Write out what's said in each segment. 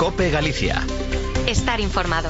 COPE Galicia. Estar informado.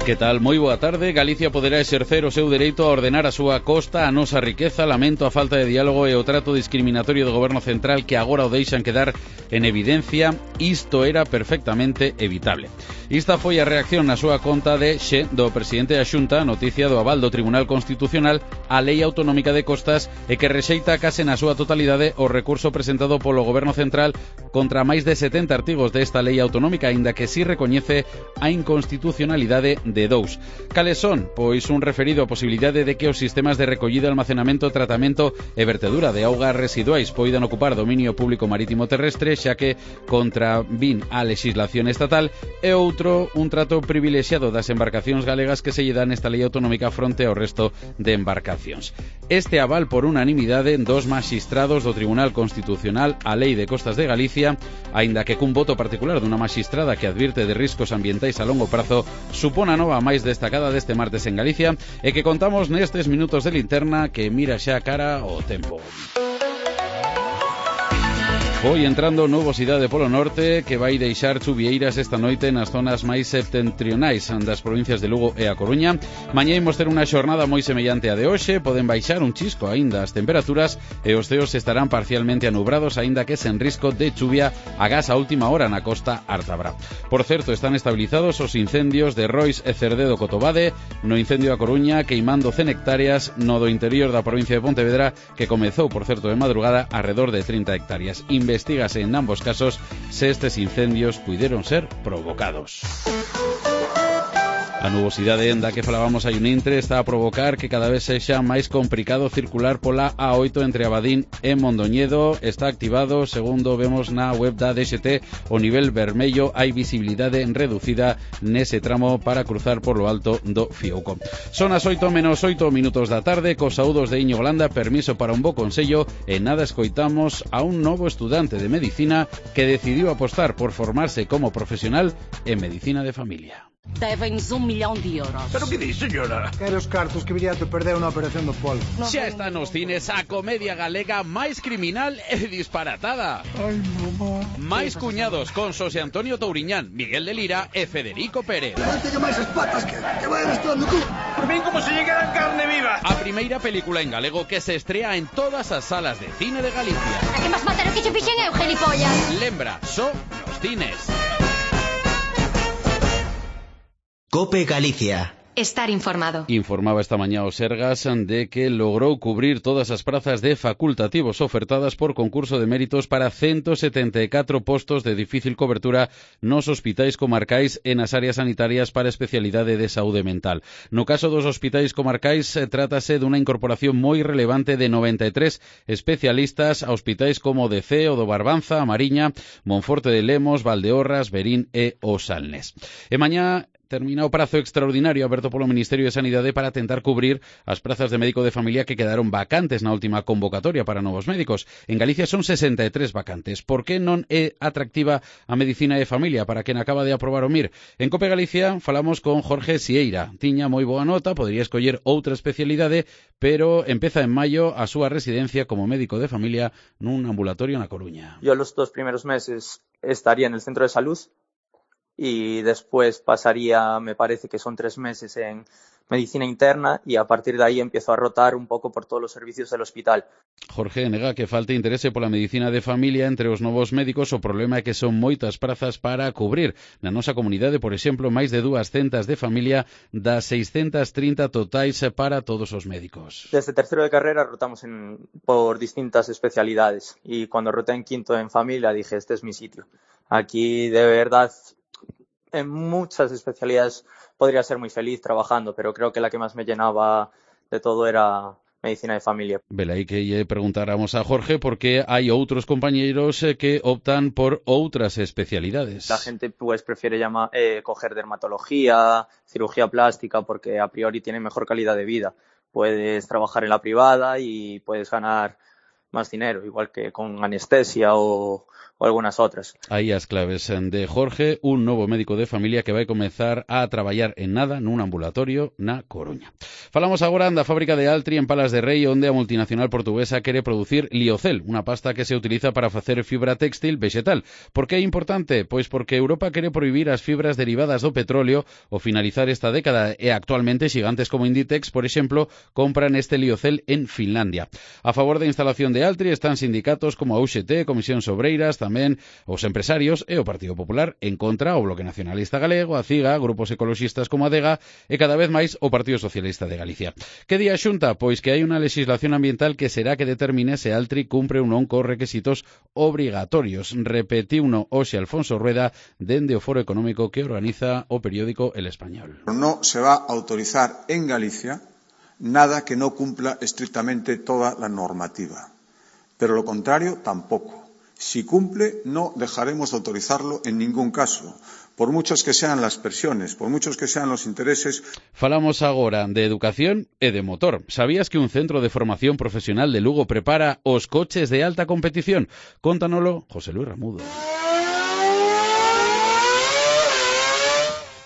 Que tal? Moi boa tarde. Galicia poderá exercer o seu dereito a ordenar a súa costa, a nosa riqueza. Lamento a falta de diálogo e o trato discriminatorio do Goberno Central que agora o deixan quedar en evidencia. Isto era perfectamente evitable. Esta foi a reacción na súa conta de Xe do presidente da Xunta, noticia do aval do Tribunal Constitucional á Lei Autonómica de Costas e que rexeita case na súa totalidade o recurso presentado polo Goberno Central contra máis de 70 artigos desta Lei Autonómica, aínda que si recoñece a inconstitucionalidade de dous. Cales son? Pois un referido á posibilidade de que os sistemas de recollida, almacenamento, tratamento e vertedura de augas residuais poidan ocupar dominio público marítimo terrestre, xa que contravin a legislación estatal, e outro, un trato privilexiado das embarcacións galegas que se lle dan nesta lei autonómica fronte ao resto de embarcacións. Este aval por unanimidade dos maxistrados do Tribunal Constitucional á Lei de Costas de Galicia, aínda que cun voto particular dunha maxistrada que advirte de riscos ambientais a longo prazo, supón a nova máis destacada deste martes en Galicia e que contamos nestes minutos de linterna que mira xa cara ao tempo. Foi entrando nubosidade polo norte que vai deixar chuvieiras esta noite nas zonas máis septentrionais das provincias de Lugo e A Coruña. Mañá imos ter unha xornada moi semellante a de hoxe, poden baixar un chisco aínda as temperaturas e os ceos estarán parcialmente anubrados, aínda que sen risco de chuvia agás a última hora na costa ártabra. Por certo, están estabilizados os incendios de Rois e Cerdedo Cotobade, no incendio da Coruña queimando 100 hectáreas, no do interior da provincia de Pontevedra, que comezou, por certo, de madrugada, arredor de 30 hectáreas. Investígase en ambos casos se estes incendios puideron ser provocados. A nubosidade da que falábamos hai un intre está a provocar que cada vez sexa máis complicado circular pola A8 entre Abadín e Mondoñedo. Está activado, segundo vemos na web da DXT, o nivel vermello. Hai visibilidade reducida nese tramo para cruzar por lo alto do Fiouco. Son as 8:08 da tarde, cos saúdos de Íñigo Landa, permiso para un bo consello e nada escoitamos a un novo estudante de medicina que decidiu apostar por formarse como profesional en medicina de familia. Deben-nos 1 millón de euros. Pero que di, señora? Quero os cartos que viría a te perder na operación do polo. Xa está nos cines a comedia galega máis criminal e disparatada. Ai, mamá. Máis cuñados con Xosé Antonio Touriñán, Miguel de Lira e Federico Pérez. Teño máis as patas que vai arrastrando tú. Por fin como se llegaran carne viva. A primeira película en galego que se estrea en todas as salas de cine de Galicia. A que máis mataron que che fixen eu, gilipollas. Lembra, só nos cines. COPE Galicia. Estar informado. Informaba esta mañá o Sergas de que logrou cubrir todas as prazas de facultativos ofertadas por concurso de méritos para 174 postos de difícil cobertura nos hospitais comarcais e nas áreas sanitarias para especialidade de saúde mental. No caso dos hospitais comarcais, trátase dunha incorporación moi relevante de 93 especialistas a hospitais como o de Ceo, do Barbanza, a Mariña, Monforte de Lemos, Valdeorras, Verín e o Salnés. E mañá termina o prazo extraordinario aberto polo Ministerio de Sanidade para tentar cubrir as prazas de médico de familia que quedaron vacantes na última convocatoria para novos médicos. En Galicia son 63 vacantes. Por que non é atractiva a medicina de familia para quen acaba de aprobar o MIR? En COPE Galicia falamos con Jorge Sieira. Tiña moi boa nota, podría escoller outra especialidade, pero empeza en maio a súa residencia como médico de familia nun ambulatorio na Coruña. Yo los 2 primeros meses estaría en el centro de salud y después pasaría, me parece que son 3 meses en medicina interna y a partir de ahí empiezo a rotar un poco por todos los servicios del hospital. Jorge nega que falte interese pola medicina de familia entre os novos médicos. O problema é que son moitas prazas para cubrir. Na nosa comunidade, por exemplo, máis de 200 de familia das 630 totais para todos os médicos. Desde tercero de carrera rotamos por distintas especialidades y cuando roté en quinto en familia dije, este es mi sitio. Aquí de verdad en muchas especialidades podría ser muy feliz trabajando, pero creo que la que más me llenaba de todo era medicina de familia. Velaí que lle preguntáramos a Jorge porque hai outros compañeiros que optan por outras especialidades. La gente pues prefiere coger dermatología, cirugía plástica, porque a priori tienen mejor calidad de vida. Puedes trabajar en la privada y puedes ganar más dinero, igual que con anestesia o algunas otras. Aí as claves de Jorge, un novo médico de familia que vai comezar a traballar en nada nun ambulatorio na Coruña. Falamos agora da fábrica de Altri en Palas de Rei, onde a multinacional portuguesa quere producir Liocel, unha pasta que se utiliza para facer fibra textil vegetal. Por que é importante? Pois porque Europa quere prohibir as fibras derivadas do petróleo ao finalizar esta década e actualmente xigantes como Inditex, por exemplo, compran este Liocel en Finlandia. A favor da instalación de Altri están sindicatos como a UGT, Comisións Obreiras, tamén os empresarios e o Partido Popular, en contra o Bloque Nacionalista Galego, a CIGA, grupos ecoloxistas como a DEGA e cada vez máis o Partido Socialista de Galicia. Que di a Xunta? Pois que hai unha legislación ambiental que será que determine se Altri cumpre ou non cos requisitos obrigatorios. Repetiuno hoxe Alfonso Rueda dende o foro económico que organiza o periódico El Español. No se va a autorizar en Galicia nada que no cumpla estrictamente toda la normativa, pero lo contrario tampoco. Si cumple, no dejaremos de autorizarlo en ningún caso, por muchas que sean las presiones, por muchos que sean los intereses. Falamos agora de educación e de motor. Sabías que un centro de formación profesional de Lugo prepara os coches de alta competición? Cóntanolo José Luis Ramudo.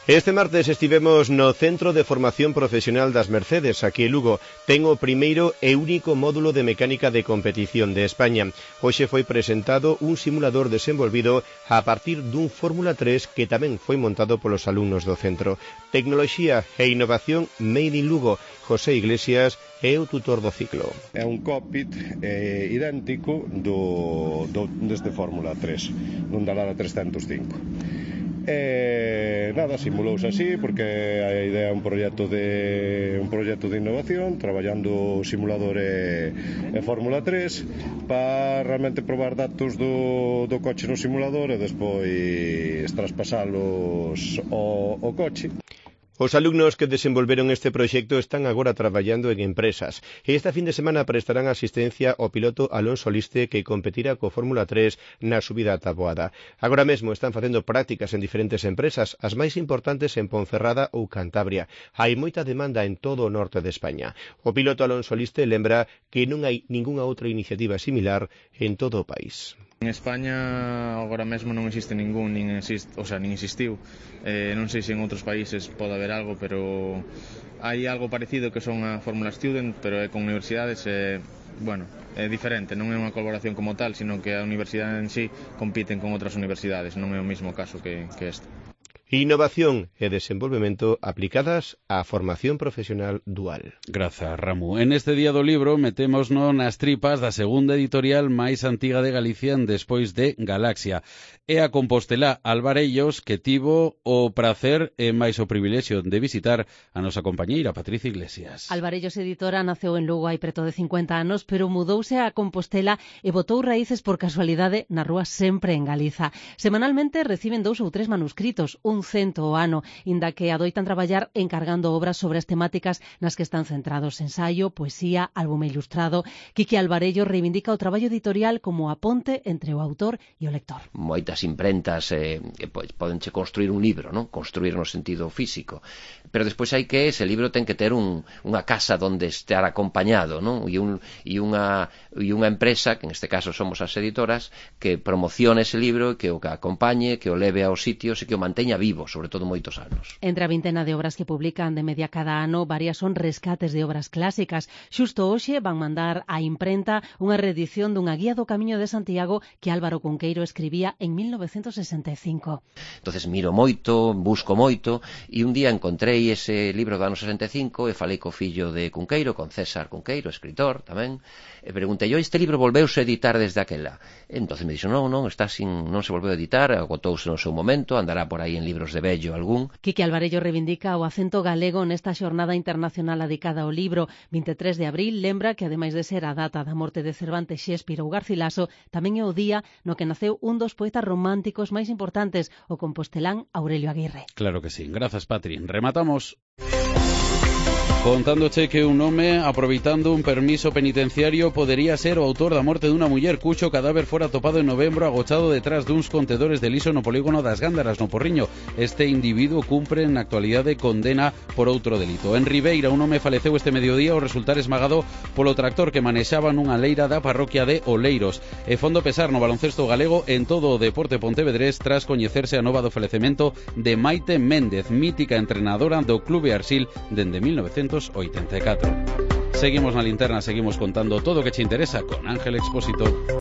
Este martes estivemos no Centro de Formación Profesional das Mercedes, aquí en Lugo. Ten o primeiro e único módulo de mecánica de competición de España. Hoxe foi presentado un simulador desenvolvido a partir dun Fórmula 3 que tamén foi montado polos alumnos do centro. Tecnoloxía e innovación made in Lugo. José Iglesias é o tutor do ciclo. É un cockpit idéntico deste Fórmula 3, dun Dallara 305. Nada, simulouse así porque a idea é un proxecto de innovación, traballando o simulador e Fórmula 3 para realmente probar datos do coche no simulador e despois traspasalos ao coche. Os alumnos que desenvolveron este proxecto están agora traballando en empresas e esta fin de semana prestarán asistencia ao piloto Alonso Liste que competirá co Fórmula 3 na subida a Taboada. Agora mesmo están facendo prácticas en diferentes empresas, as máis importantes en Ponferrada ou Cantabria. Hai moita demanda en todo o norte de España. O piloto Alonso Liste lembra que non hai ningunha outra iniciativa similar en todo o país. En España agora mesmo non existe ningún, nin existiu. Non sei se en outros países pode haber algo, pero hai algo parecido que son a Fórmula Student, pero é con universidades é diferente, non é unha colaboración como tal, sino que a universidade en sí compiten con outras universidades, non é o mesmo caso que este. Innovación e desenvolvemento aplicadas á formación profesional dual. Grazas, Ramu. En este día do libro metémosnos nas tripas da segunda editorial máis antiga de Galicia despois de Galaxia. É a compostelá Alvarellos que tivo o prazer e máis o privilexio de visitar a nosa compañeira Patricia Iglesias. Alvarellos Editora naceu en Lugo hai preto de 50 anos, pero mudouse a Compostela e botou raíces por casualidade na rúa sempre en Galiza. Semanalmente reciben 2 ou 3 manuscritos, un 100 ao ano, inda que adoitan traballar encargando obras sobre as temáticas nas que están centrados: ensaio, poesía, álbume ilustrado. Quique Alvarellos reivindica o traballo editorial como a ponte entre o autor e o lector. Moitas imprentas podenche construir un libro, non? Construir no sentido físico, pero despois hai que ese libro ten que ter unha casa donde estar acompañado, non? E unha empresa, que en este caso somos as editoras, que promocione ese libro, que o acompañe, que o leve aos sitios e que o manteña vivo, sobre todo moitos anos. Entre a vintena de obras que publican de media cada ano, varias son rescates de obras clásicas. Xusto hoxe van mandar á imprenta unha reedición dunha guía do Camiño de Santiago que Álvaro Cunqueiro escribía en 1965. Entonces miro moito, busco moito, e un día encontrei ese libro do ano 65 e falei co fillo de Cunqueiro, con César Cunqueiro, escritor tamén, e preguntei, este libro volveuse a editar desde aquela? Entonces me dixo, non se volveu a editar, agotouse no seu momento, andará por aí en libros de vello algún. Quique Alvarellos reivindica o acento galego nesta xornada internacional dedicada ao libro. 23 de abril lembra que, ademais de ser a data da morte de Cervantes, Shakespeare ou Garcilaso, tamén é o día no que naceu un dos poetas románticos máis importantes, o compostelán Aurelio Aguirre. Claro que sí. Grazas, Patri. Rematamos. Contándoche que un home, aproveitando un permiso penitenciario, podería ser o autor da morte dunha muller cuxo cadáver fora topado en novembro agochado detrás duns contedores de liso no polígono das Gándaras, no Porriño. Este individuo cumpre na actualidade condena por outro delito. En Ribeira, un home faleceu este mediodía ao resultar esmagado polo tractor que manexaba nunha leira da parroquia de Oleiros. E fondo pesar no baloncesto galego en todo o deporte pontevedrés tras coñecerse a nova do falecemento de Maite Méndez, mítica entrenadora do Clube Arsil dende 1984. Seguimos na linterna, seguimos contando todo o que che interesa con Ángel Expósito.